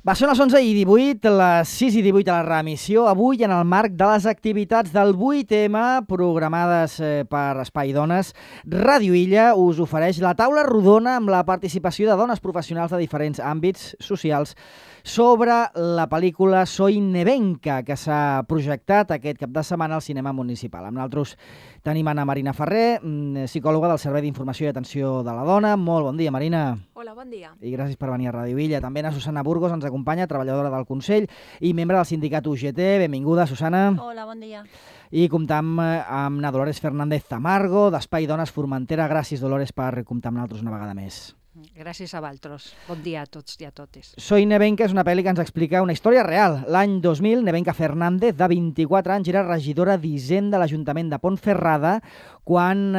Va, són les 11:18, les 6:18 a la reemissió, avui en el marc de les activitats del 8M programades per Espai Dones. Ràdio Illa us ofereix la taula rodona amb la participació de dones professionals de diferents àmbits socials sobre la pel·lícula Soy Nevenka, que s'ha projectat aquest cap de setmana al cinema municipal. Amb nosaltres tenim Anna Marina Ferrer, psicòloga del Servei d'Informació i Atenció de la Dona. Molt bon dia, Marina. Hola, bon dia. I gràcies per venir a Ràdio Illa. També a Susana Burgos ens acompanya, treballadora del Consell i membre del sindicat UGT. Benvinguda, Susana. Hola, bon dia. I comptam amb na Dolores Fernández Tamargo, d'Espai Dones Formentera. Gràcies, Dolores, per comptar amb nosaltres una vegada més. Gràcies a vosaltres. Bon dia a tots i a totes. Soy Nevenka és una pel·li que ens explica una història real. L'any 2000, Nevenka Fernández, de 24 anys, era regidora d'Hisenda de l'Ajuntament de Pontferrada quan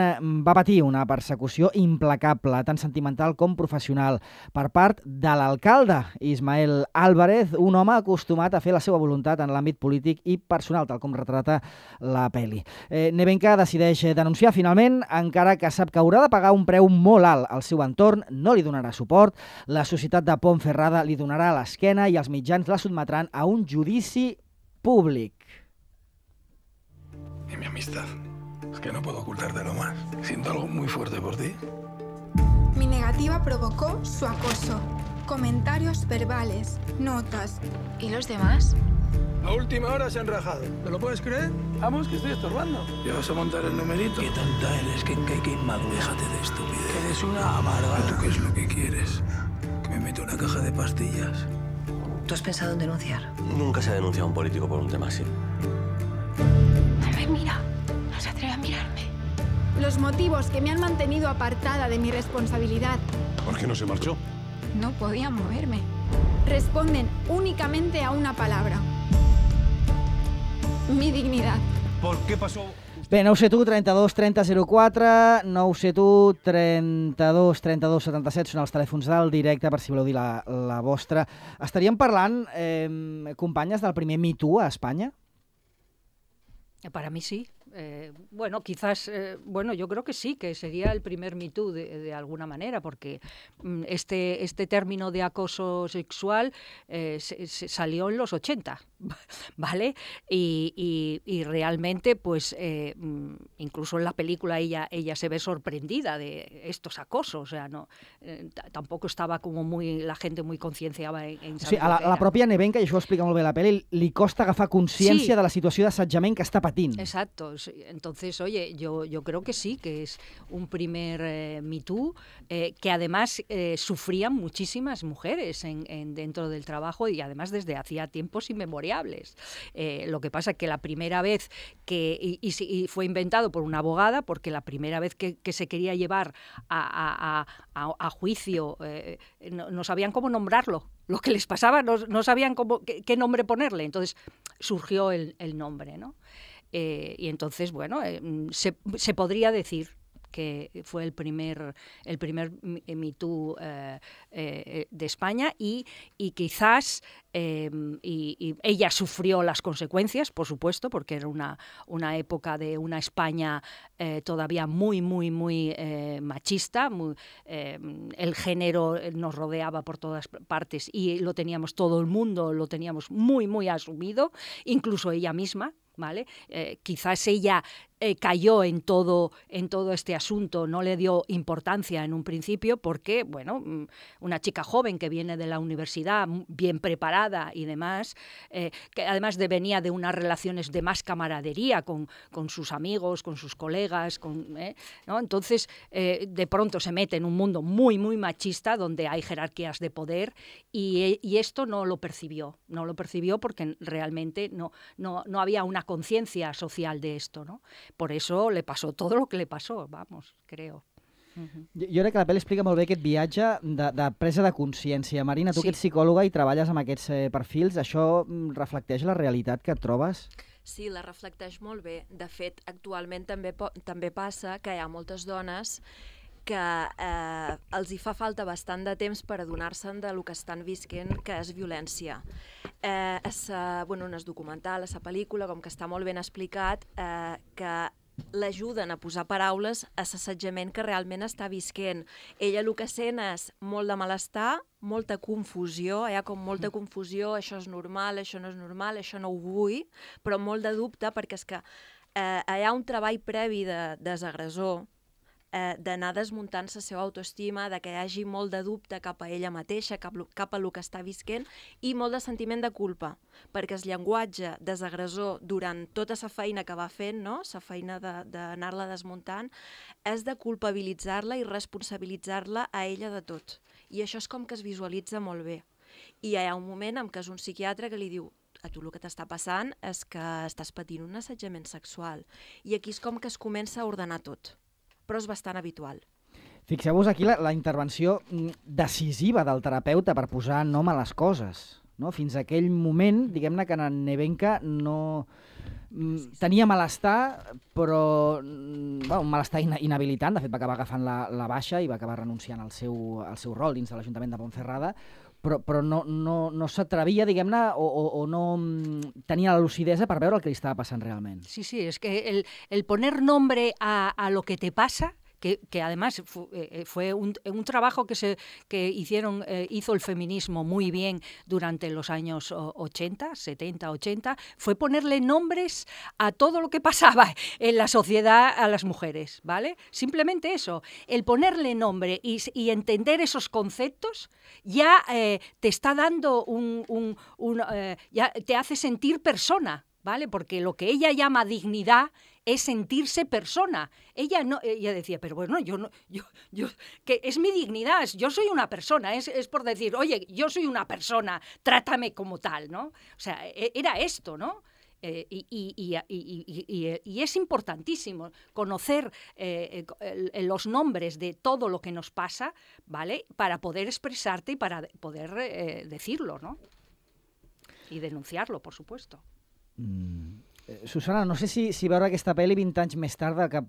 va patir una persecució implacable, tant sentimental com professional, per part de l'alcalde Ismael Álvarez, un home acostumat a fer la seva voluntat en l'àmbit polític i personal, tal com retrata la pel·li. Nevenka decideix denunciar finalment, encara que sap que haurà de pagar un preu molt alt. El seu entorn no li donarà suport, la societat de Pontferrada li donarà l'esquena i els mitjans la sotmetran a un judici públic. Y mi amistad. Es que no puedo ocultártelo más. Siento algo muy fuerte por ti. Mi negativa provocó su acoso. Comentarios verbales, notas. ¿Y los demás? A última hora se han rajado. ¿Te lo puedes creer? Vamos, que estoy estorbando. ¿Ya vas a montar el numerito? Qué tonta eres, que inmaduro. Déjate de estupidez. Eres una amargada. ¿Tú qué es lo que quieres? ¿Que me meto una caja de pastillas? ¿Tú has pensado en denunciar? Nunca se ha denunciado a un político por un tema así. No me mira. No se atreve a mirarme. Los motivos que me han mantenido apartada de mi responsabilidad. ¿Por qué no se marchó? No podía moverme. Responden únicamente a una palabra. Mi dignidad. ¿Por qué pasó? Bé, 971 32 30 04, 971 32 32 77 són els telèfons del directe, per si voleu dir la vostra. Estaríem parlant, companyes, del primer Me Too a Espanya? Para mí sí. Bueno, quizás, yo creo que sí, que sería el primer Me Too de alguna manera, porque este término de acoso sexual se salió en los 80, ¿vale? Y realmente, pues, incluso en la película ella se ve sorprendida de estos acosos, o sea, no, tampoco estaba como la gente muy concienciada en saber. Sí, a la pròpia Nevenka, i això ho explica molt bé la pel·li, li costa agafar consciència de la situació d'assetjament que està patint. Exacto. Entonces, oye, yo creo que sí, que es un primer Me Too, que además sufrían muchísimas mujeres dentro del trabajo y además desde hacía tiempos inmemoriales. Lo que pasa es que la primera vez y fue inventado por una abogada, porque la primera vez que se quería llevar a juicio no sabían cómo nombrarlo. Lo que les pasaba, no sabían qué nombre ponerle. Entonces surgió el nombre, ¿no? Y entonces, bueno, se podría decir que fue el primer Me Too de España y quizás y ella sufrió las consecuencias, por supuesto, porque era una época de una España todavía muy machista, el género nos rodeaba por todas partes y lo teníamos todo el mundo, lo teníamos muy asumido, incluso ella misma, ¿vale? Quizás ella cayó en todo este asunto, no le dio importancia en un principio porque, bueno, una chica joven que viene de la universidad, bien preparada y demás, que además venía de unas relaciones de más camaradería con sus amigos, con sus colegas, ¿no? Entonces, de pronto se mete en un mundo muy machista donde hay jerarquías de poder y esto no lo percibió porque realmente no había una conciencia social de esto, ¿no? Por eso le pasó todo lo que le pasó, vamos, creo. Jo crec que la pel·li explica molt bé aquest viatge de presa de consciència. Marina, tu Sí. que ets psicòloga i treballes amb aquests perfils, això reflecteix la realitat que et trobes? Sí, la reflecteix molt bé. De fet, actualment també passa que hi ha moltes dones que els hi fa falta bastant de temps per adonar-se'n del que estan visquent, que és violència. No és documental, és pel·lícula, com que està molt ben explicat, que l'ajuden a posar paraules a l'assetjament que realment està visquent. Ella el que sent és molt de malestar, molta confusió, hi ha com molta confusió, això és normal, això no és normal, això no ho vull, però molt de dubte perquè és que hi ha un treball previ de desagressor, d'anar desmuntant la seva autoestima, de que hi hagi molt de dubte cap a ella mateixa, cap a el que està visquent, i molt de sentiment de culpa, perquè el llenguatge desagressor durant tota la feina que va fent, no? La feina d'anar-la desmuntant, és de culpabilitzar-la i responsabilitzar-la a ella de tot. I això és com que es visualitza molt bé. I hi ha un moment en què és un psiquiatre que li diu: a tu el que t'està passant és que estàs patint un assetjament sexual. I aquí és com que es comença a ordenar tot. Però és bastant habitual. Fixeu-vos aquí la intervenció decisiva del terapeuta per posar nom a les coses. No? Fins a aquell moment, diguem-ne que en Nevenka no tenia malestar, però un malestar inhabilitant. De fet, va acabar agafant la baixa i va acabar renunciant al seu rol dins de l'Ajuntament de Ponferrada, però no s'atrevia, diguem-ne, o no tenia la lucidesa per veure el que li estava passant realment. Sí, es que el poner nombre a lo que te pasa, que además fue un trabajo que hizo el feminismo muy bien durante los años 80, 70, 80, fue ponerle nombres a todo lo que pasaba en la sociedad a las mujeres, ¿vale? Simplemente eso, el ponerle nombre y entender esos conceptos ya te está dando ya te hace sentir persona, ¿vale? Porque lo que ella llama dignidad es sentirse persona. Ella decía, pero bueno, yo que es mi dignidad, yo soy una persona, es por decir, oye, yo soy una persona, trátame como tal, ¿no? O sea, era esto, ¿no? Y es importantísimo conocer los nombres de todo lo que nos pasa, ¿vale? Para poder expresarte y para poder decirlo, ¿no? Y denunciarlo, por supuesto. Susana, no sé si veure aquesta pel·li 20 anys més tard que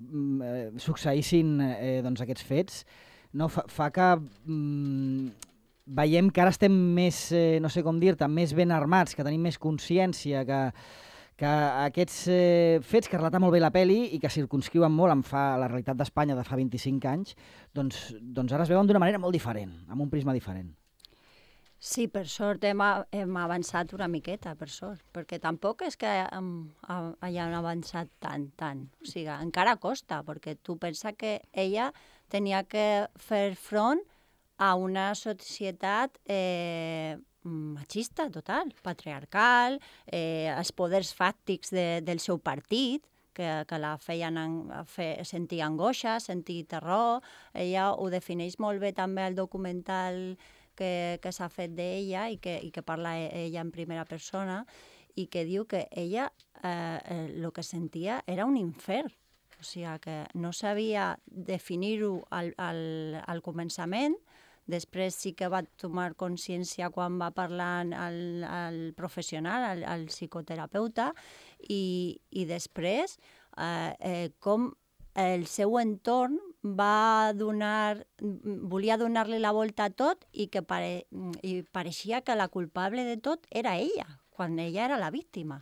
succeïssin aquests fets no, fa que veiem que ara estem més, no sé com dir-te, més ben armats, que tenim més consciència, que aquests fets que relata molt bé la pel·li i que circumscriuen molt la realitat d'Espanya de fa 25 anys, doncs ara es veuen d'una manera molt diferent, amb un prisma diferent. Sí, per sort hem avançat una miqueta, per sort, perquè tampoc és que hagin avançat tant. O sigui, encara costa, perquè tu pensa que ella tenia que fer front a una societat machista total, patriarcal, els poders fàctics del seu partit, que la feien sentir angoixa, sentir terror. Ella ho defineix molt bé també al documental que s'ha fet d'ella i que parla ella en primera persona i que diu que ella el que sentia era un infern. O sigui, que no sabia definir-ho al començament, després sí que va tomar consciència quan va parlar al professional, al psicoterapeuta, i després com el seu entorn volia donar-li la volta a tot i pareixia que la culpable de tot era ella, quan ella era la víctima.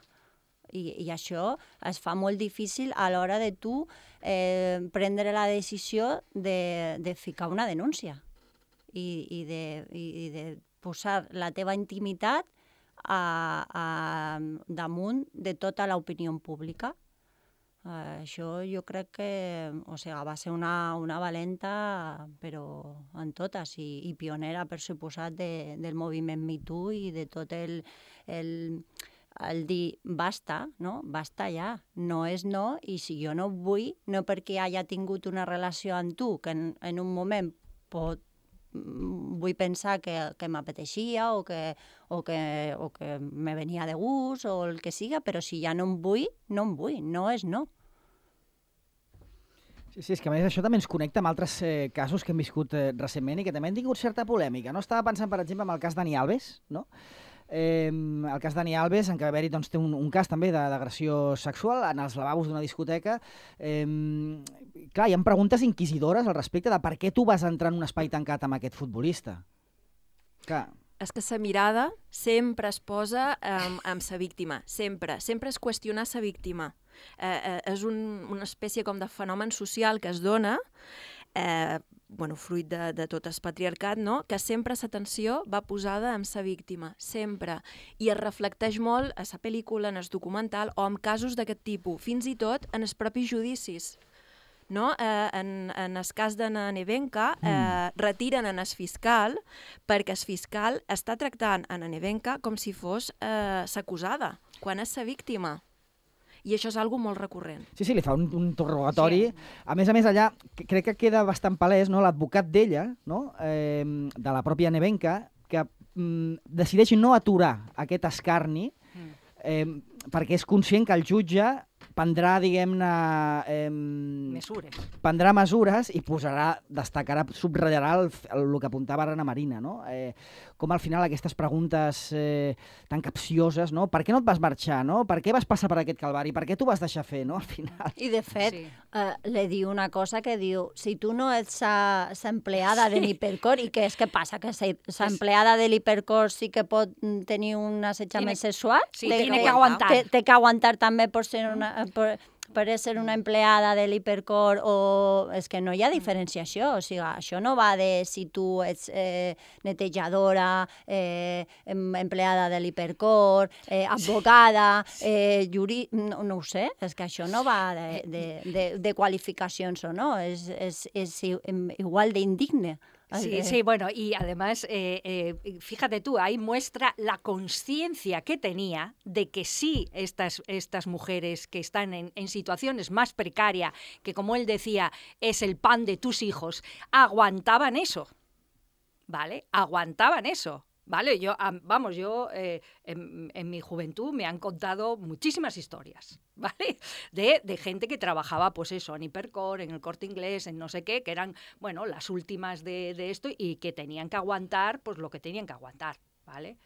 I això es fa molt difícil a l'hora de tu prendre la decisió de ficar una denúncia i de posar la teva intimitat damunt de tota l'opinió pública. Això jo crec que va ser una valenta, però en totes, i pionera, per suposat, del moviment Me Too i de tot el dir basta, no? Basta ja, no és no, i si jo no vull, no perquè hagi tingut una relació amb tu, que en un moment vull pensar que m'apeteixia o que me venia de gust o el que siga, però si ja no em vull, no és no. Sí, és que a més això també ens connecta amb altres casos que hem viscut recentment i que també han tingut certa polèmica. No? Estava pensant, per exemple, en el cas Dani Alves, no? El cas Dani Alves, en què va haver-hi té un cas també d'agressió sexual en els lavabos d'una discoteca. Clar, hi ha preguntes inquisidores al respecte de per què tu vas entrar en un espai tancat amb aquest futbolista. Clar. És que la mirada sempre es posa amb la víctima, sempre es qüestiona la víctima. És una espècie com de fenomen social que es dona, fruit de tot el patriarcat, no? Que sempre l'atenció va posada en sa víctima, sempre. I es reflecteix molt a la pel·lícula, en el documental, o en casos d'aquest tipus, fins i tot en els propis judicis. No? En el cas de Nevenka, retiren en el fiscal perquè el fiscal està tractant a Nevenka com si fos s'acusada, quan és la víctima. I això és algo molt recurrent. Sí, li fa un interrogatori. Sí. A més, allà crec que queda bastant palès, no? L'advocat d'ella, no? De la pròpia Nevenka, que decideix no aturar aquest escarni perquè és conscient que el jutge prendrà, diguem-ne... Prendrà mesures i destacarà, subratllarà el que apuntava ara Ana Marina, no? Com al final aquestes preguntes tan capcioses, no? Per què no et vas marxar, no? Per què vas passar per aquest calvari? Per què t'ho vas deixar fer, no? Al final. I de fet, li diu una cosa que diu, si tu no ets l'empleada de l'Hipercor, i què és que passa? Que l'empleada de l'Hipercor sí que pot tenir un assetjament sexual? Sí, tiene que aguantar. Té que aguantar també per ser una empleada de l'Hipercor, o és que no hi ha diferenciació, o sigui, això no va de si tu ets netejadora, empleada de l'Hipercor, advocada, no ho sé, és que això no va de qualificacions o no, és igual d'indigne. Sí, bueno, y además, fíjate tú, ahí muestra la conciencia que tenía de que sí, estas mujeres que están en situaciones más precarias, que como él decía, es el pan de tus hijos, aguantaban eso, ¿vale? Aguantaban eso. Vale, yo en mi juventud me han contado muchísimas historias, ¿vale? De gente que trabajaba, pues eso, en Hipercor, en el Corte Inglés, en no sé qué, que eran, bueno, las últimas de esto y que tenían que aguantar, pues lo que tenían que aguantar, ¿vale?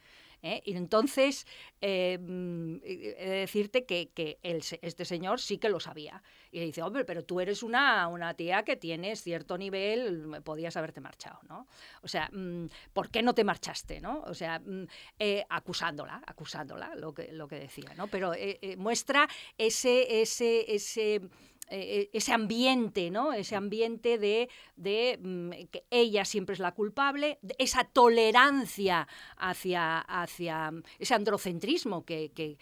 Y entonces, he de decirte que este señor sí que lo sabía. Y le dice, hombre, pero tú eres una tía que tienes cierto nivel, podías haberte marchado, ¿no? O sea, ¿por qué no te marchaste, no? O sea, acusándola, lo que decía, ¿no? Pero muestra ese ambiente, ¿no? Ese ambiente de que ella siempre es la culpable, esa tolerancia hacia ese androcentrismo que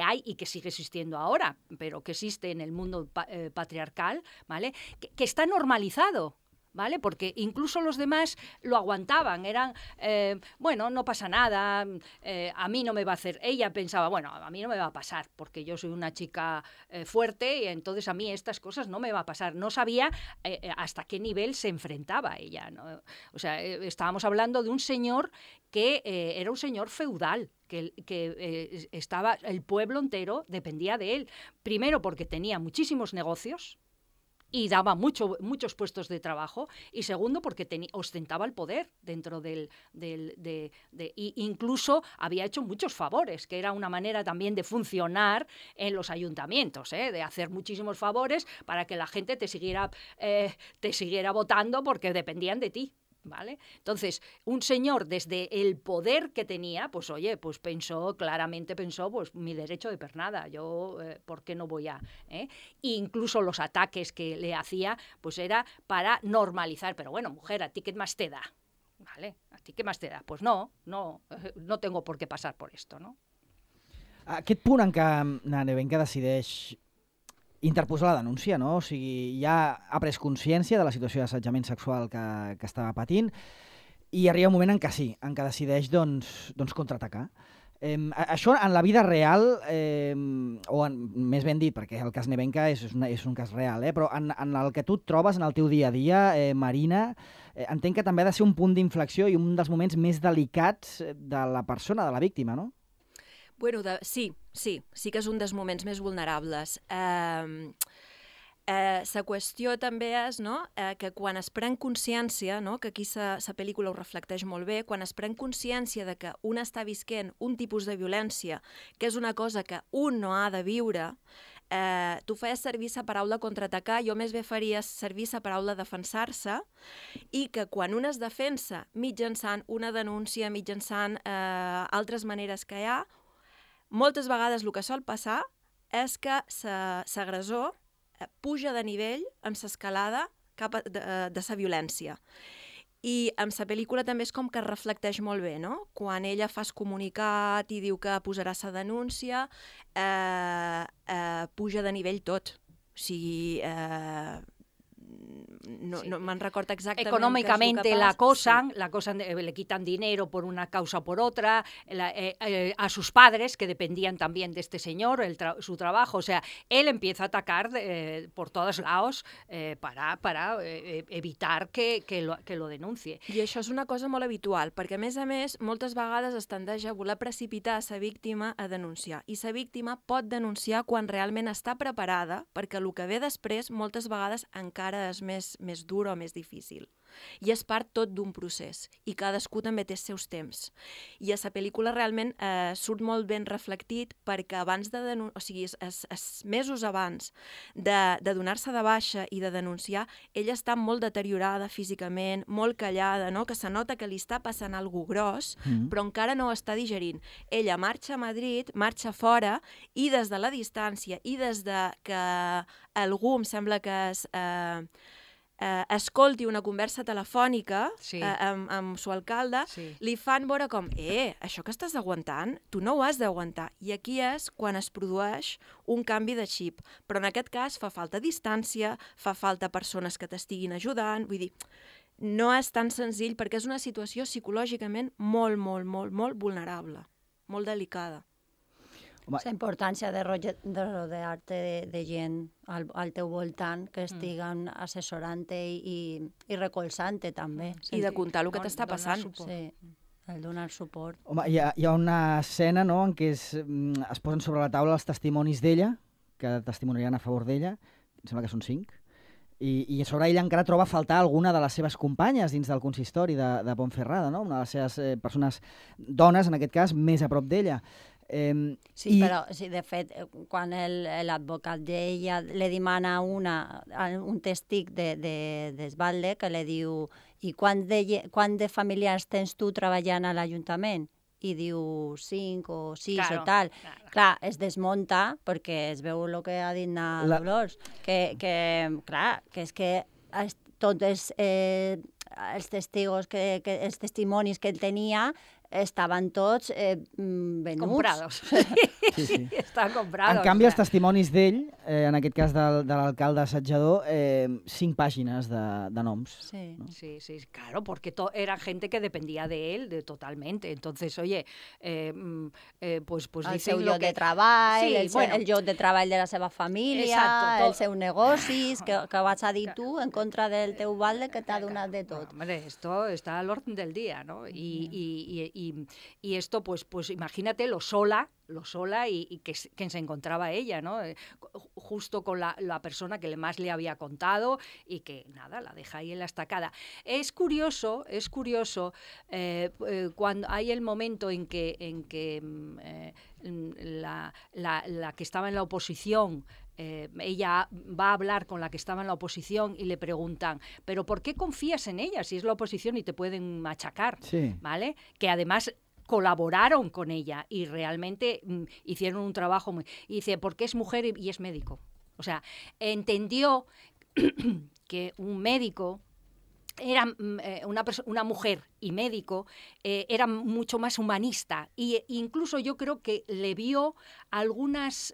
hay y que sigue existiendo ahora, pero que existe en el mundo patriarcal, ¿vale? Que está normalizado, ¿vale? Porque incluso los demás lo aguantaban, eran, bueno, no pasa nada, a mí no me va a hacer... Ella pensaba, bueno, a mí no me va a pasar, porque yo soy una chica fuerte y entonces a mí estas cosas no me va a pasar. No sabía hasta qué nivel se enfrentaba ella, ¿no? O sea, estábamos hablando de un señor que era un señor feudal, que estaba, el pueblo entero dependía de él. Primero porque tenía muchísimos negocios, y daba muchos puestos de trabajo, y segundo porque ostentaba el poder dentro y incluso había hecho muchos favores, que era una manera también de funcionar en los ayuntamientos, de hacer muchísimos favores para que la gente te siguiera votando porque dependían de ti. ¿Vale? Entonces, un señor desde el poder que tenía, pues oye, pues claramente pensó, pues mi derecho de pernada, yo, ¿por qué no voy a...? Incluso los ataques que le hacía, pues era para normalizar, pero bueno, mujer, ¿a ti qué más te da? ¿Vale? ¿A ti qué más te da? Pues no tengo por qué pasar por esto, no? Aquest punt en què Nevenka decideix interposar la denúncia, no? O sigui, ja ha pres consciència de la situació d'assetjament sexual que estava patint i arriba un moment en què sí, en què decideix doncs contraatacar. Això en la vida real, més ben dit, perquè el cas Nevenka és un cas real, però en el que tu et trobes en el teu dia a dia, Marina, entenc que també ha de ser un punt d'inflexió i un dels moments més delicats de la persona, de la víctima, no? Bueno, sí que és un dels moments més vulnerables. La qüestió també és, no, que quan es pren consciència, no, que aquí la pel·lícula ho reflecteix molt bé, quan es pren consciència de que un està visquent un tipus de violència, que és una cosa que un no ha de viure, tu feies servir la paraula contraatacar, jo més bé faria servir la paraula defensar-se, i que quan un es defensa mitjançant una denúncia, mitjançant altres maneres que hi ha, moltes vegades el que sol passar és que l'agressor puja de nivell amb l'escalada de sa violència. I amb la pel·lícula també és com que reflecteix molt bé, no? Quan ella fa el comunicat i diu que posarà sa denúncia, puja de nivell tot. O sigui, no me'n recordo exactament. Económicamente la acosan, le quitan dinero por una causa o por otra, a sus padres, que dependían también de este señor, su trabajo. O sea, él empieza a atacar por todos lados para evitar que lo denuncie. I això és una cosa molt habitual, perquè a més, moltes vegades es tendeix a voler precipitar la víctima a denunciar. I la víctima pot denunciar quan realment està preparada, perquè el que ve després moltes vegades encara és més dur o més difícil. I és part tot d'un procés, i cadascú també té els seus temps. I a la pel·lícula realment surt molt ben reflectit, perquè abans de o sigui, mesos abans de donar-se de baixa i de denunciar, ella està molt deteriorada físicament, molt callada, no? Que se nota que li està passant alguna cosa gros, però encara no ho està digerint. Ella marxa a Madrid, marxa fora, i des de la distància, i des de que algú, em sembla que escolti una conversa telefònica amb su alcalde, li fan veure com, això que estàs aguantant, tu no ho has d'aguantar. I aquí és quan es produeix un canvi de xip. Però en aquest cas fa falta distància, fa falta persones que t'estiguin ajudant, vull dir, no és tan senzill perquè és una situació psicològicament molt vulnerable, molt delicada. La importància de rodear-te de gent al teu voltant que estiguen assessorant-te i recolzant-te també. I de contar el que t'està passant. Sí, el donar suport. Home, hi ha una escena, no?, en què es posen sobre la taula els testimonis d'ella, que testimoniaran a favor d'ella, em sembla que són 5, i a sobre ella encara troba a faltar alguna de les seves companyes dins del consistori de Ponferrada, no?, una de les seves persones, dones en aquest cas, més a prop d'ella. Sí, però de fet, quan l'advocat d'ella li demana un testig d'Esbalde, que li diu, i quant de familiars tens tu treballant a l'Ajuntament? I diu 5 o 6 o tal. Clar, es desmunta perquè es veu el que ha dit Dolors, que és que tots els testimonis que ell tenia estaven tots venuts. Comprados. Sí, estaven comprados. En canvi, els testimonis d'ell, en aquest cas de l'alcalde assetjador, 5 pàgines de noms. Sí, ¿no? Sí, claro, porque era gente que dependía de él totalmente. Entonces, oye, pues el seu lloc de treball, el lloc de treball de la seva família, els seus negocis, que vas a dir tu en contra del teu balde que t'ha donat de tot. Hombre, esto está al orden del día, ¿no? Y esto, pues imagínate lo sola y que se encontraba ella, ¿no? Justo con la persona que más le había contado y que, nada, la deja ahí en la estacada. Es curioso cuando hay el momento en que la que estaba en la oposición, ella va a hablar con la que estaba en la oposición y le preguntan, ¿pero por qué confías en ella si es la oposición y te pueden machacar? Sí. ¿Vale? Que además colaboraron con ella y realmente hicieron un trabajo muy... Y dice, porque es mujer y es médico. O sea, entendió que un médico era una mujer y médico, era mucho más humanista. Y incluso yo creo que le vio algunas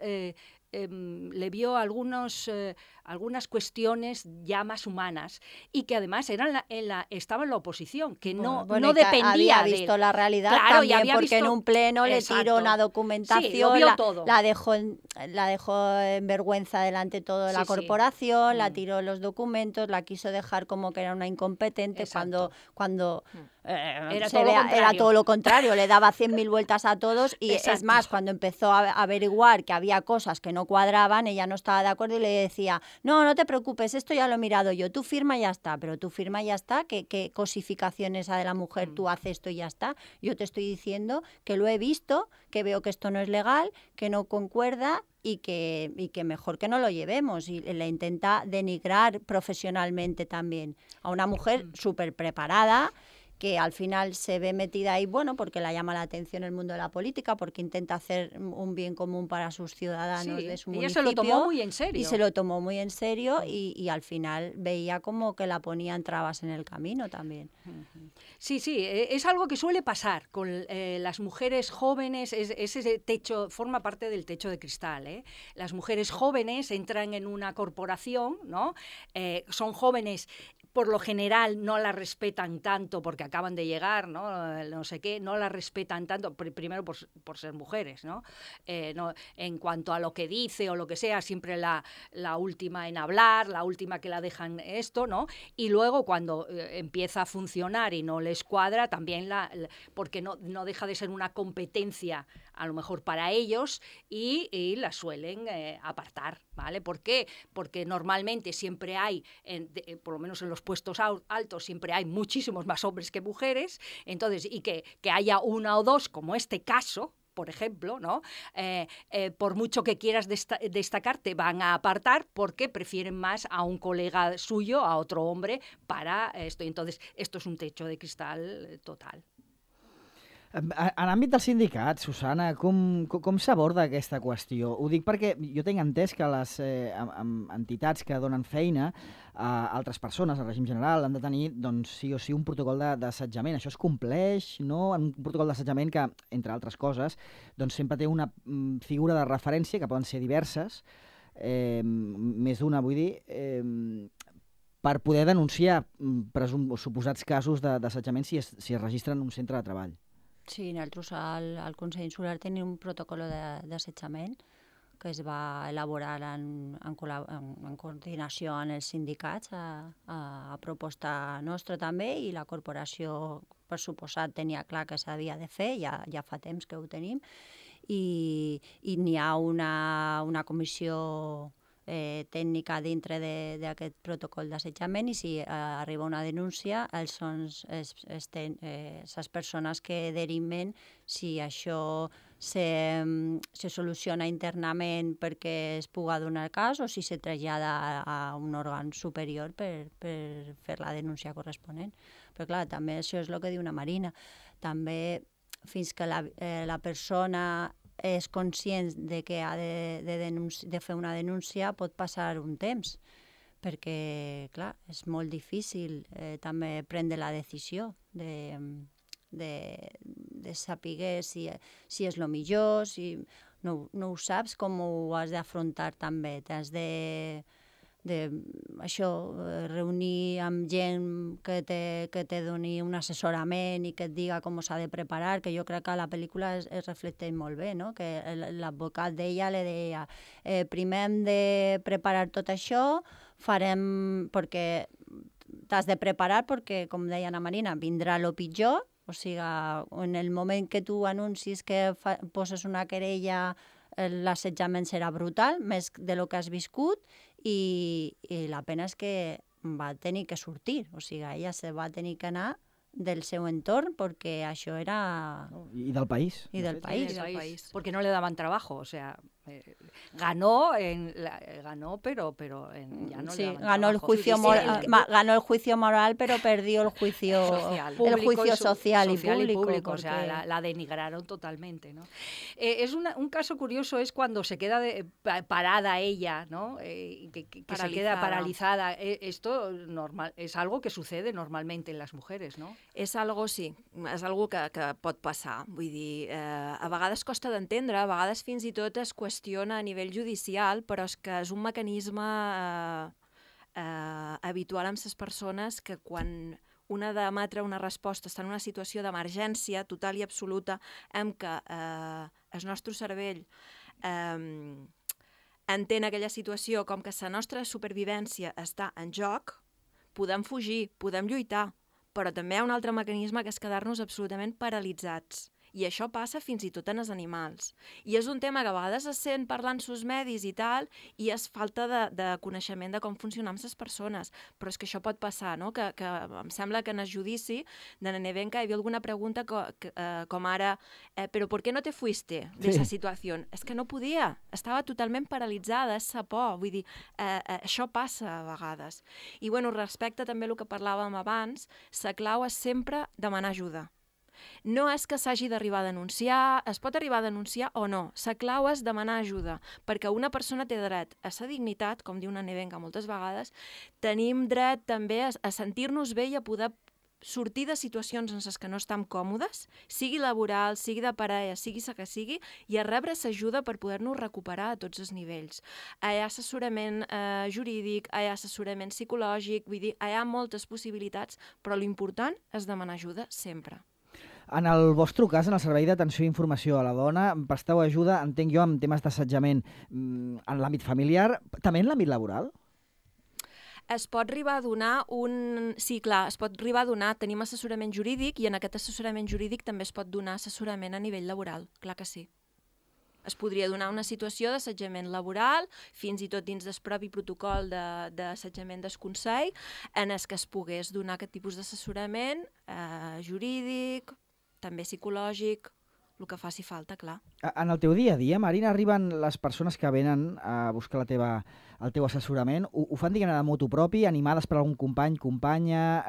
algunas cuestiones ya más humanas y que además estaba en la oposición, que no dependía había visto la realidad, claro, también porque en un pleno le tiró una documentación, la dejó en vergüenza delante de toda la corporación, la tiró los documentos, la quiso dejar como que era una incompetente cuando era todo lo contrario, le daba 100.000 vueltas a todos y es más, cuando empezó a averiguar que había cosas que no cuadraban, ella no estaba de acuerdo y le decía, no te preocupes, esto ya lo he mirado yo, tú firma y ya está, pero tú firma y ya está, ¿qué cosificación esa de la mujer? Tú haces esto y ya está. Yo te estoy diciendo que lo he visto, que veo que esto no es legal, que no concuerda y que mejor que no lo llevemos. Y le intenta denigrar profesionalmente también a una mujer súper preparada que al final se ve metida ahí, bueno, porque la llama la atención el mundo de la política, porque intenta hacer un bien común para sus ciudadanos de su municipio. Ella se lo tomó muy en serio. Y se lo tomó muy en serio y al final veía como que la ponían trabas en el camino también. Sí, es algo que suele pasar con las mujeres jóvenes, ese techo, forma parte del techo de cristal, ¿eh? Las mujeres jóvenes entran en una corporación, ¿no? Son jóvenes, por lo general no la respetan tanto porque acaban de llegar, no sé qué, no la respetan tanto, primero por ser mujeres, ¿no? En cuanto a lo que dice o lo que sea, siempre la última en hablar, la última que la dejan esto, ¿no? Y luego cuando empieza a funcionar y no les cuadra, también porque no deja de ser una competencia a lo mejor para ellos y la suelen apartar, ¿vale? ¿Por qué? Porque normalmente siempre hay, por lo menos en los puestos altos, siempre hay muchísimos más hombres que mujeres, entonces, y que haya una o dos, como este caso, por ejemplo, ¿no? Por mucho que quieras destacar, te van a apartar porque prefieren más a un colega suyo, a otro hombre, para esto. Entonces, esto es un techo de cristal total. En l'àmbit dels sindicats, Susana, com s'aborda aquesta qüestió? Ho dic perquè jo tinc entès que les entitats que donen feina a altres persones, al règim general, han de tenir, doncs, sí o sí, un protocol d'assetjament. Això es compleix, no? Un protocol d'assetjament que, entre altres coses, doncs sempre té una figura de referència, que poden ser diverses, més d'una, vull dir, per poder denunciar suposats casos d'assetjament si es registren en un centre de treball. Sí, nosaltres al Consell Insular tenim un protocol d'assetjament que es va elaborar en coordinació amb els sindicats a proposta nostra també, i la corporació, per suposat, tenia clar que s'havia de fer, ja fa temps que ho tenim, i n'hi ha una comissió tècnica dintre d'aquest protocol d'assetjament, i si arriba una denúncia, són les persones que deriven si això se soluciona internament perquè es pugui donar cas o si se trasllada a un òrgan superior per fer la denúncia corresponent. Però clar, també això és el que diu una Marina. També fins que la persona és conscient de que ha de fer una denúncia, pot passar un temps, perquè, clar, és molt difícil també prendre la decisió de saber si és el millor, si no ho saps, com ho has d'afrontar també. T'has reunir amb gent que te doni un assessorament i que et diga com s'ha de preparar, que jo crec que a la pel·lícula es reflecteix molt bé, no? Que l'advocat d'ella li deia primer hem de preparar tot això, perquè t'has de preparar perquè, com deia Ana Marina, vindrà el pitjor, o sigui, en el moment que tu anuncis que poses una querella, l'assetjament serà brutal, més de lo que has viscut, i la pena és que va tenir que sortir, o sigui, ella se va tenir que anar del seu entorn perquè això era... I del país. I del país. Porque no le daban trabajo, o sea... Ganó, pero ya no sí, le daban ganó trabajo. Ganó el juicio moral, pero perdió el juicio social y público. O sea, la denigraron totalmente, ¿no? Es un caso curioso, es cuando se queda parada ella, ¿no? Que se queda paralizada. Esto es algo que sucede normalmente en las mujeres, ¿no? És algo, sí, és algo que pot passar. Vull dir, a vegades costa d'entendre, a vegades fins i tot es qüestiona a nivell judicial, però és que és un mecanisme habitual amb les persones que quan una ha d'emetre una resposta està en una situació d'emergència total i absoluta en què el nostre cervell entén aquella situació com que la nostra supervivència està en joc, podem fugir, podem lluitar, però també hi ha un altre mecanisme que és quedar-nos absolutament paralitzats I això passa fins i tot en els animals. I és un tema que a vegades es sent parlant sus medis i tal, i és falta de coneixement de com funcionam les persones. Però és que això pot passar, no? Que em sembla que en el judici de la Nevenka hi havia alguna pregunta com ara «Però per què no te fuiste de esa situació?» És que no podia, estava totalment paralitzada, és sa por, vull dir, això passa a vegades. I bueno, respecte també el que parlàvem abans, la clau és sempre demanar ajuda. No és que s'hagi d'arribar a denunciar, es pot arribar a denunciar o no. La clau és demanar ajuda, perquè una persona té dret a sa dignitat, com diu una Nevenka moltes vegades, tenim dret també a sentir-nos bé i a poder sortir de situacions en les que no estem còmodes, sigui laboral, sigui de parella, sigui la que sigui, i a rebre l'ajuda per poder-nos recuperar a tots els nivells. Hi ha assessorament jurídic, hi ha assessorament psicològic, vull dir, hi ha moltes possibilitats, però l'important és demanar ajuda sempre. En el vostre cas, en el Servei d'Atenció i Informació a la Dona, presteu ajuda, entenc jo, en temes d'assetjament en l'àmbit familiar, també en l'àmbit laboral? Es pot arribar a donar Sí, clar, es pot arribar a donar, tenim assessorament jurídic i en aquest assessorament jurídic també es pot donar assessorament a nivell laboral, clar que sí. Es podria donar una situació d'assetjament laboral, fins i tot dins del propi protocol d'assetjament del Consell, en el que es pogués donar aquest tipus d'assessorament jurídic, també psicològic, el que faci falta, clar. En el teu dia a dia, Marina, arriben les persones que venen a buscar el teu assessorament, ho fan, diguem-ne, de motu propi, animades per algun company, companya,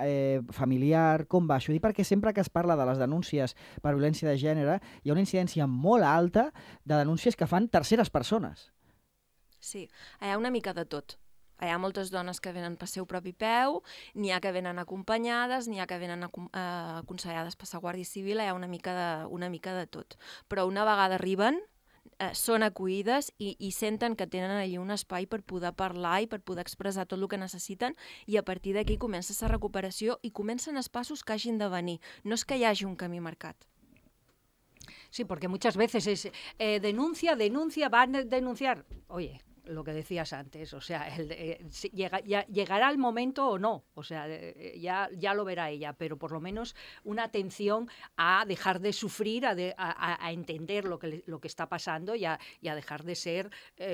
familiar, com va això? Dic perquè sempre que es parla de les denúncies per violència de gènere, hi ha una incidència molt alta de denúncies que fan terceres persones. Sí, hi ha una mica de tot. Hi ha moltes dones que venen per seu propi peu, n'hi ha que venen acompanyades, n'hi ha que venen aconsellades per la Guàrdia Civil, hi ha una mica de tot. Però una vegada arriben, són acollides i senten que tenen allí un espai per poder parlar i per poder expressar tot el que necessiten, i a partir d'aquí comença la recuperació i comencen els passos que hagin de venir. No és que hi hagi un camí marcat. Sí, porque muchas veces es denuncia, van a denunciar. Oye, lo que decías antes, o sea, llegará el momento o no, o sea, ya lo verá ella, pero por lo menos una atención a dejar de sufrir, a entender lo que está pasando y a dejar de ser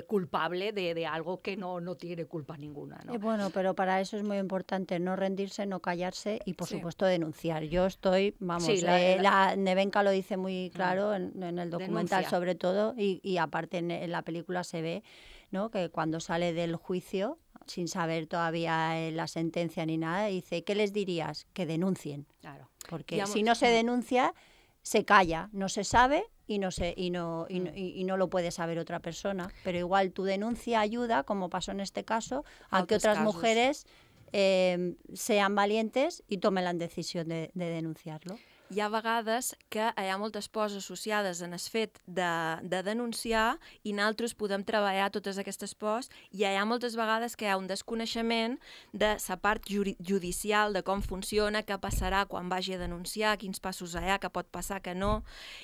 culpable de algo que no tiene culpa ninguna, ¿no? Bueno, pero para eso es muy importante no rendirse, no callarse y, por supuesto, denunciar. Yo estoy, la Nevenka lo dice muy claro en el documental, sobre todo, y aparte en la película se ve, ¿no?, que cuando sale del juicio, sin saber todavía la sentencia ni nada, dice, ¿qué les dirías? Que denuncien. Claro. Porque si no se denuncia, se calla, no se sabe y no lo puede saber otra persona. Pero igual tu denuncia ayuda, como pasó en este caso, a que otras mujeres sean valientes i tomen la decisió de denunciar-lo. Hi ha vegades que hi ha moltes pors associades en el fet de denunciar i nosaltres podem treballar totes aquestes pors, i hi ha moltes vegades que hi ha un desconeixement de la part judicial, de com funciona, què passarà quan vagi a denunciar, quins passos hi ha, què pot passar, què no,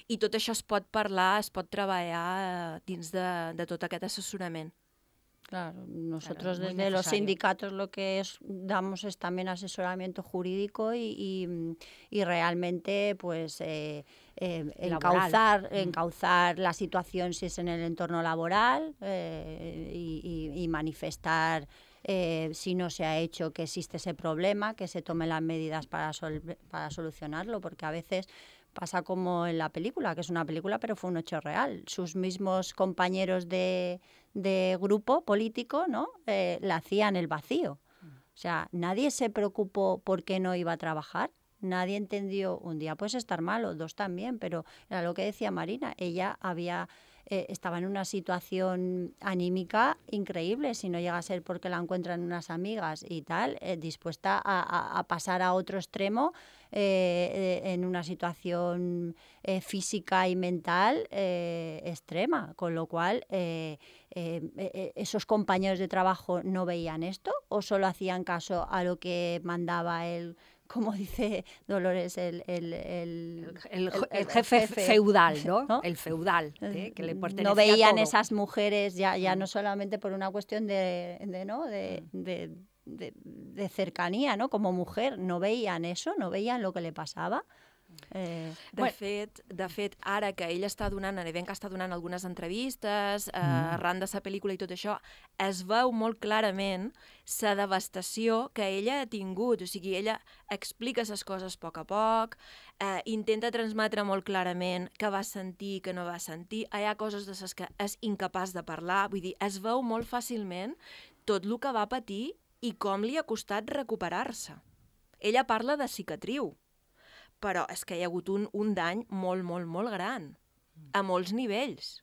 i tot això es pot parlar, es pot treballar dins de tot aquest assessorament. Claro, nosotros desde los sindicatos lo que damos es también asesoramiento jurídico y realmente pues encauzar la situación si es en el entorno laboral y manifestar si no se ha hecho que existe ese problema, que se tomen las medidas para solucionarlo, porque a veces pasa como en la película, que es una película pero fue un hecho real. Sus mismos compañeros de grupo político, ¿no?, le hacían el vacío. O sea, nadie se preocupó por qué no iba a trabajar. Nadie entendió, un día puedes estar malo, dos también, pero era lo que decía Marina, ella estaba en una situación anímica increíble, si no llega a ser porque la encuentran unas amigas y tal, dispuesta a pasar a otro extremo en una situación física y mental extrema, con lo cual esos compañeros de trabajo no veían esto o solo hacían caso a lo que mandaba él, como dice Dolores, el jefe feudal, ¿no? El feudal, que le pertenecía no veían todo. Esas mujeres ya no solamente por una cuestión de cercanía, ¿no?, como mujer, no veían eso, no veían lo que le pasaba. De fet, ara que ell està donant, Nevenka està donant algunes entrevistes, arran de sa pel·lícula i tot això, es veu molt clarament la devastació que ella ha tingut. O sigui, ella explica les coses a poc, intenta transmetre molt clarament què va sentir, què no va sentir. Hi ha coses de les que és incapaç de parlar. Vull dir, es veu molt fàcilment tot el que va patir i com li ha costat recuperar-se. Ella parla de cicatriu, però és que hi ha hagut un dany molt, molt, molt gran, a molts nivells.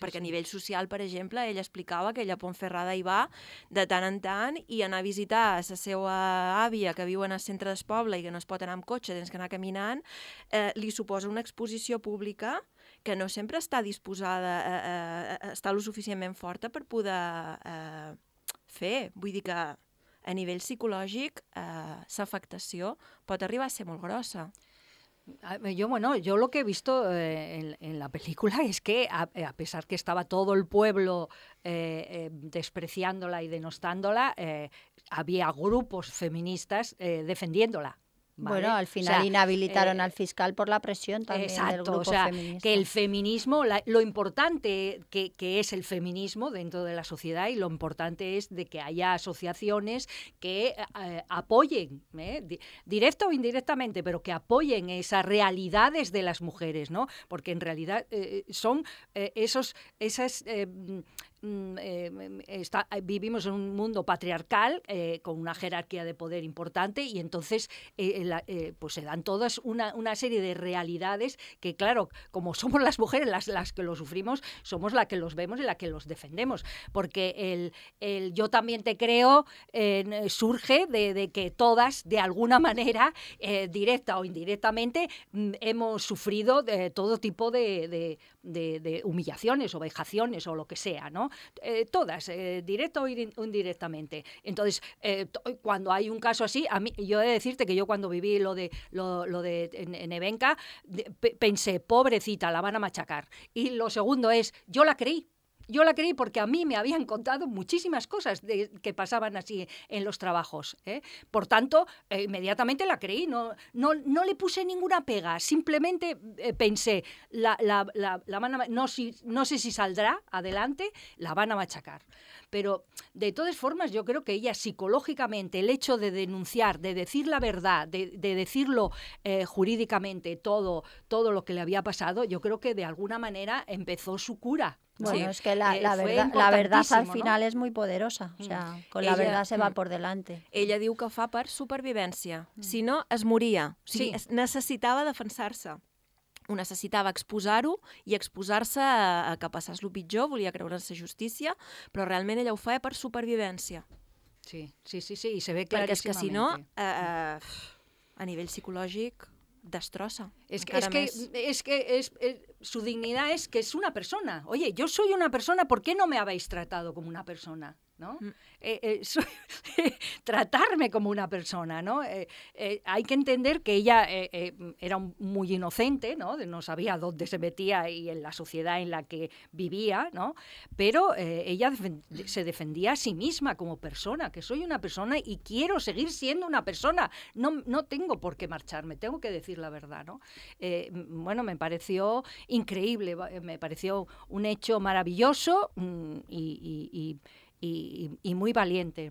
Perquè a nivell social, per exemple, ella explicava que ella a Ponferrada hi va de tant en tant i anar a visitar la seva àvia que viu en el centre del poble i que no es pot anar amb cotxe, tens que anar caminant, li suposa una exposició pública que no sempre està disposada a estar lo suficientment forta per poder fer. Vull dir que a nivell psicològic l'afectació pot arribar a ser molt grossa. Yo lo que he visto en la película es que a pesar que estaba todo el pueblo despreciándola y denostándola, había grupos feministas defendiéndola. ¿Vale? Bueno, al final inhabilitaron al fiscal por la presión también del grupo feminista. Que el feminismo, lo importante que es el feminismo dentro de la sociedad y lo importante es de que haya asociaciones que apoyen, directa o indirectamente, pero que apoyen esas realidades de las mujeres, ¿no? Porque en realidad son vivimos en un mundo patriarcal con una jerarquía de poder importante y entonces pues se dan todas una serie de realidades que, claro, como somos las mujeres las que lo sufrimos, somos las que los vemos y las que los defendemos, porque el yo también te creo surge de que todas, de alguna manera, directa o indirectamente, hemos sufrido todo tipo de humillaciones o vejaciones o lo que sea, ¿no? Todas, directo o indirectamente. Entonces, cuando hay un caso así, yo he de decirte que yo cuando viví lo de Nevenka, pensé, pobrecita, la van a machacar. Y lo segundo es, yo la creí porque a mí me habían contado muchísimas cosas que pasaban así en los trabajos. Por tanto, inmediatamente la creí, no le puse ninguna pega, simplemente pensé, no sé si saldrá adelante, la van a machacar. Pero, de todas formas, yo creo que ella psicológicamente, el hecho de denunciar, de decir la verdad, de decirlo jurídicamente todo lo que le había pasado, yo creo que de alguna manera empezó su cura. Bueno, sí, es que la verdad al final, ¿no? Es muy poderosa. O sea, con la verdad se va por delante. Ella diu que ho fa per supervivència. Si no, es moria. O sigui, necessitava defensar-se. Ho necessitava exposar-ho i exposar-se a que passés el pitjor, volia creure en la justícia, però realment ella ho feia per supervivència. Sí, i se ve claríssimamente. Perquè és que si no, a nivell psicològic, destroza. Es que su dignidad es que es una persona. Oye, yo soy una persona, ¿por qué no me habéis tratado como una persona? ¿No? Tratarme como una persona, ¿no? Hay que entender que ella era muy inocente, ¿no? No sabía dónde se metía y en la sociedad en la que vivía, ¿no? Pero ella se defendía a sí misma como persona, que soy una persona y quiero seguir siendo una persona. No tengo por qué marcharme, tengo que decir la verdad, ¿no? Bueno, me pareció increíble, me pareció un hecho maravilloso i muy valiente,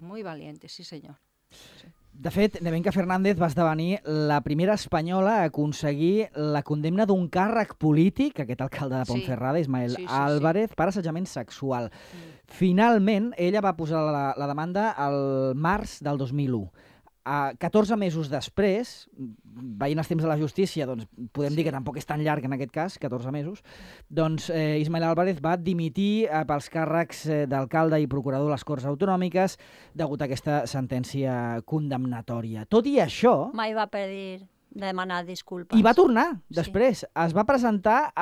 sí senyor. Sí. De fet, Nevenka Fernández va esdevenir la primera espanyola a aconseguir la condemna d'un càrrec polític, aquest alcalde de Ponferrada, Ismael Álvarez, per assetjament sexual. Finalment, ella va posar la demanda al març del 2001. 14 mesos després, veient els temps de la justícia, doncs podem dir que tampoc és tan llarg en aquest cas, 14 mesos, doncs Ismael Álvarez va dimitir pels càrrecs d'alcalde i procurador de les Corts Autonòmiques degut a aquesta sentència condemnatòria. Tot i això... Mai va pedir demanar disculpes. I va tornar després. Es va presentar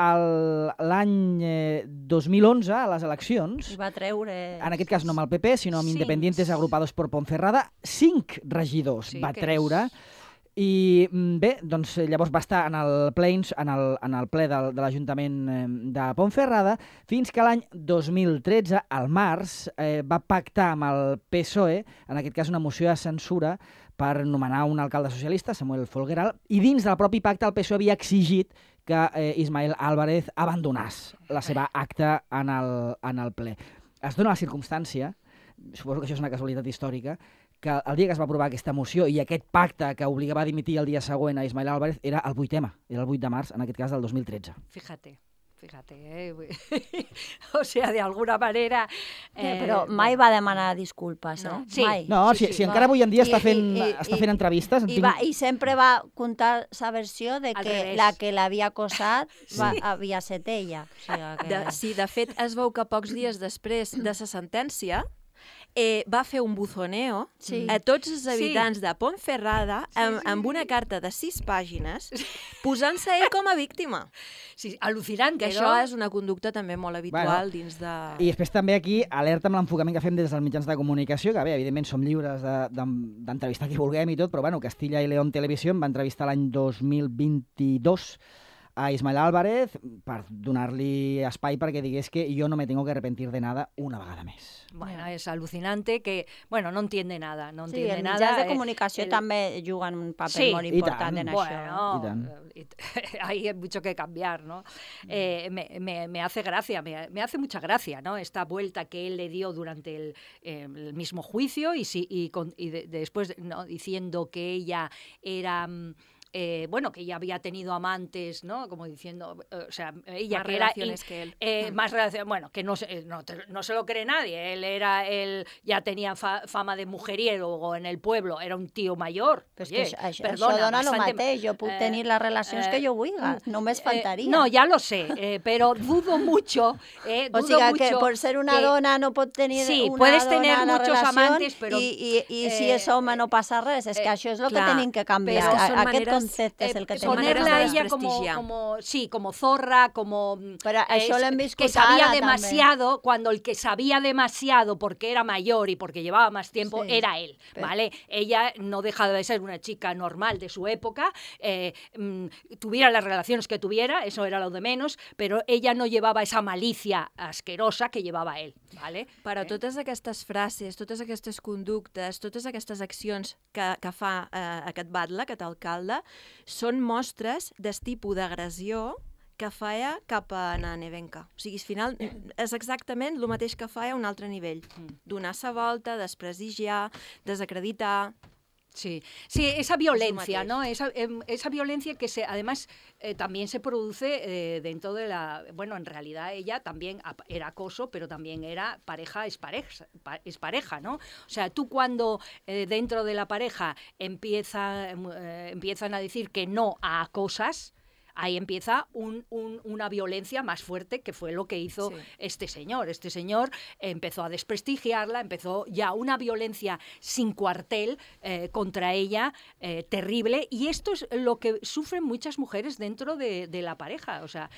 l'any 2011 a les eleccions. I va treure... En aquest cas no amb el PP, sinó amb Independientes Agrupados por Ponferrada. 5 regidors va treure. I bé, doncs llavors va estar en el ple de l'Ajuntament de Ponferrada fins que l'any 2013, al març, va pactar amb el PSOE, en aquest cas una moció de censura, per nomenar un alcalde socialista, Samuel Folgueral, i dins del propi pacte el PSOE havia exigit que Ismael Álvarez abandonés la seva acta en el ple. Es dona la circumstància, suposo que això és una casualitat històrica, que el dia que es va aprovar aquesta moció i aquest pacte que obligava a dimitir el dia següent a Ismael Álvarez era el 8M, era el 8 de març, en aquest cas del 2013. Fíjate, o sea, de alguna manera... Però mai va demanar disculpes, no. eh? Sí. Mai. No, si encara avui en dia està fent entrevistes... I sempre va contar la versió de que la que l'havia acosat havia set ella. O sigui que... Sí, de fet, es veu que pocs dies després de la sentència va fer un buzoneo a tots els habitants de Ponferrada amb una carta de 6 pàgines posant-se ell com a víctima. Sí, al·lucinant, que això és una conducta també molt habitual dins de... I després també aquí, alerta amb l'enfocament que fem des dels mitjans de comunicació, que bé, evidentment som lliures d'entrevistar qui vulguem i tot, però bueno, Castilla y León Televisión va entrevistar l'any 2022 a Ismael Álvarez per donar-li espai perquè digués que yo no me tengo que arrepentir de nada una vegada més. Bueno, es alucinante que, bueno, no entiende nada, no entiende nada. Els mitjans de comunicació també juguen un paper molt important en això. Bueno, hay mucho que cambiar, ¿no? Me hace gracia, me hace mucha gracia, ¿no? Esta vuelta que él le dio durante el mismo juicio y después, ¿no?, diciendo que ella era... bueno, que ella había tenido amantes, ¿no? Como diciendo, o sea, ella más que era... relaciones que él. Más relaciones, bueno, que no se lo cree nadie. Él ya tenía fama de mujeriego en el pueblo, era un tío mayor. Però Oye, això dona el mateix, jo puc tenir les relacions que jo vulgui, només faltaria. No, ya lo sé, pero dudo mucho, o sigui que por ser una dona no pot tenir una puedes dona tener a la muchos relació amantes, però, i si és home no passa res, és que això és el que tenim que canviar, aquest concepte és el que tenim que ponerla a ella como zorra, como pero això l'hem viscut que sabía demasiado, cuando el que sabía demasiado porque era mayor y porque llevaba más tiempo era él, ¿vale? Ella no deja de ser una chica normal de su época, tuviera las relaciones que tuviera, eso era lo de menos, pero ella no llevaba esa malicia asquerosa que llevava ell, ¿vale? Però totes aquestes frases, totes aquestes conductes, totes aquestes accions que fa aquest batlle, aquest alcalde, són mostres del tipus d'agressió que feia cap a Ana Nevenka. O sigui, al final és exactament el mateix que feia a un altre nivell. Donar-se volta, desprestigiar, desacreditar... Sí, esa violencia, ¿no? Esa violencia que además también se produce dentro de la... Bueno, en realidad ella también era acoso, pero también era es pareja, ¿no? O sea, tú cuando dentro de la pareja empiezan a decir que no a cosas, ahí empieza una violencia más fuerte, que fue lo que hizo este señor. Este señor empezó a desprestigiarla, empezó ya una violencia sin cuartel contra ella, terrible, y esto es lo que sufren muchas mujeres dentro de la pareja, o sea,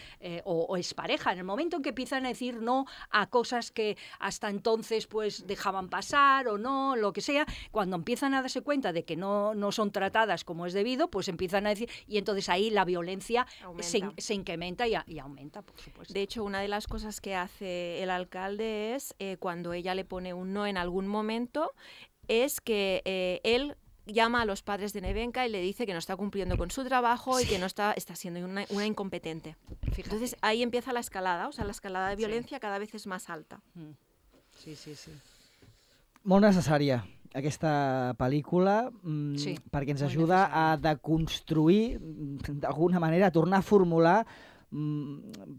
o es pareja. En el momento en que empiezan a decir no a cosas que hasta entonces pues dejaban pasar o no, lo que sea, cuando empiezan a darse cuenta de que no son tratadas como es debido, pues empiezan a decir, y entonces ahí la violencia se incrementa y aumenta, por supuesto. De hecho, una de las cosas que hace el alcalde es, cuando ella le pone un no en algún momento, es que él llama a los padres de Nevenka y le dice que no está cumpliendo con su trabajo y que no está siendo una incompetente. Fíjate. Entonces ahí empieza la escalada, o sea, la escalada de violencia cada vez es más alta. Sí. Molt necessària aquesta pel·lícula perquè ens ajuda a deconstruir, d'alguna manera, a tornar a formular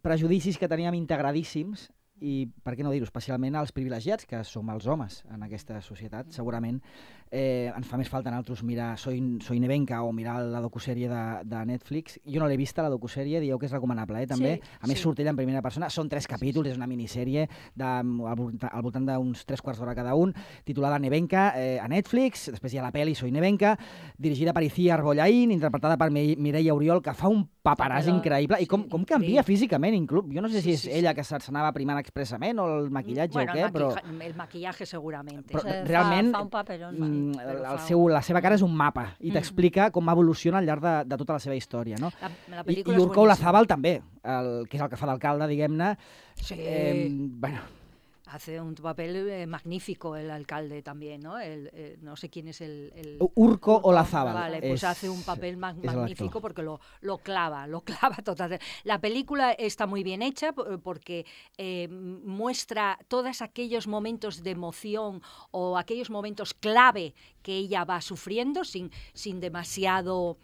prejudicis que teníem integradíssims i, per què no dir-ho, especialment als privilegiats, que som els homes en aquesta societat. Segurament ens fa més falta a nosaltres mirar Soy Nevenka o mirar la docusèrie de Netflix. Jo no l'he vista, la docusèrie, dieu que és recomanable, també. A més, surt ella en primera persona. Són 3 capítols, és una minissèrie al voltant d'uns 3 quarts d'hora cada un, titulada Nevenka a Netflix. Després hi ha la pel·li Soy Nevenka, dirigida per Icía Arbollaín, interpretada per Mireia Oriol, que fa un paperàs increïble. I com canvia físicament, inclús. Jo no sé si és ella que s'anava primant expressament o el maquillatge o què, però... el maquillaje segurament. Realment, fa un paperón. la seva cara és un mapa i t'explica com evoluciona al llarg de tota la seva història, no? I Urko Olazábal també, que és el que fa d'alcalde, diguem-ne. Sí. Bueno... hace un papel magnífico el alcalde también, ¿no? No sé quién es el Urco Olazábal. Vale, pues hace un papel magnífico porque lo clava totalmente. La película está muy bien hecha porque muestra todos aquellos momentos de emoción o aquellos momentos clave que ella va sufriendo sin demasiado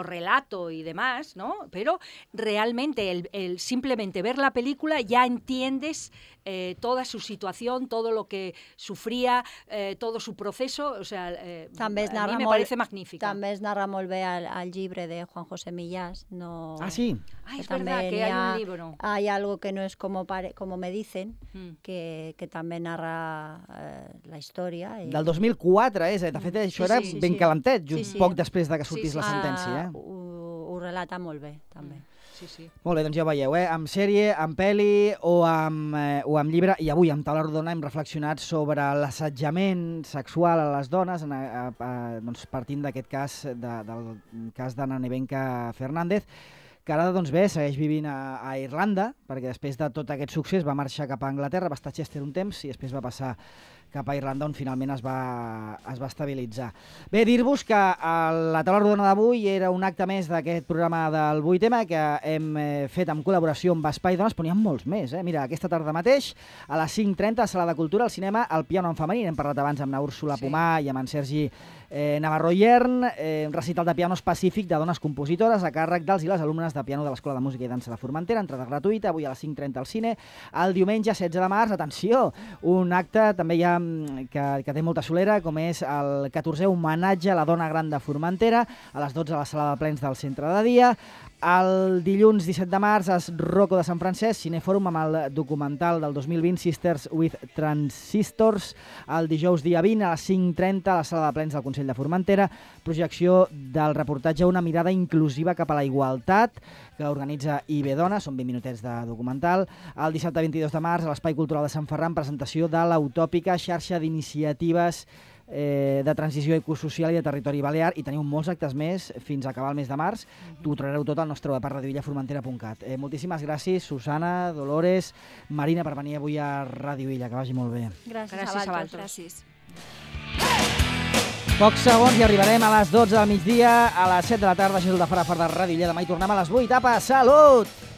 relato y demás, ¿no? Pero realmente simplemente ver la película ya entiendes toda su situación, todo lo que sufría, todo su proceso, o sea, a mí me parece magnífica. També es narra molt bé al llibre de Juan José Millás. No, sí. Es verdad que hay un libro. Hay algo que no es como me dicen, que també narra la història. Del 2004, de fet això era ben calentet, just poc després de que sortís la sentència. Ho relata molt bé, també. Sí. Molt bé, doncs ja ho veieu, amb sèrie, amb pel·li o amb llibre, i avui amb Taula Rodona hem reflexionat sobre l'assetjament sexual a les dones, doncs partint d'aquest cas, del cas d'Anna Nevenka Fernández, que ara doncs bé, segueix vivint a Irlanda, perquè després de tot aquest succés va marxar cap a Anglaterra, va estar a Chester un temps i després va passar cap a Irlanda, on finalment es va estabilitzar. Bé, dir-vos que la taula rodona d'avui era un acte més d'aquest programa del 8M que hem fet en col·laboració amb Espai Dones, però n'hi ha molts més. Mira, aquesta tarda mateix, a les 5:30, a Sala de Cultura, al cinema, El piano en femení. N'hem parlat abans amb na Úrsula Pomar i amb en Sergi Navarro Iern, un recital de piano específic de dones compositores a càrrec dels i les alumnes de piano de l'Escola de Música i Dansa de Formentera, entrada gratuïta, avui a les 5:30 al cine. El diumenge 16 de març, atenció, un acte també hi ha que té molta solera, com és el 14è homenatge a la dona gran de Formentera, a les 12 a la sala de plens del centre de dia. El dilluns 17 de març es Rocco de Sant Francesc, Cinefòrum amb el documental del 2020 Sisters with Transistors. El dijous dia 20 a les 5:30 a la sala de plens del Consell de Formentera, projecció del reportatge Una mirada inclusiva cap a la igualtat, que organitza IB Dona, són 20 minutets de documental. El dissabte 22 de març a l'Espai Cultural de Sant Ferran, presentació de l'utòpica xarxa d'iniciatives de transició ecosocial i de territori balear, i teniu molts actes més fins a acabar el mes de març. T'ho trobareu tot al nostre web a radioillaformentera.cat. Moltíssimes gràcies, Susana, Dolores, Marina, per venir avui a Radio Illa, que vagi molt bé. Gràcies a vosaltres. Pocs segons i arribarem a les 12 del migdia, a les 7 de la tarda, Jesús de Farafar de Ràdio Illa. Demà hi tornem a les 8. Apa, salut!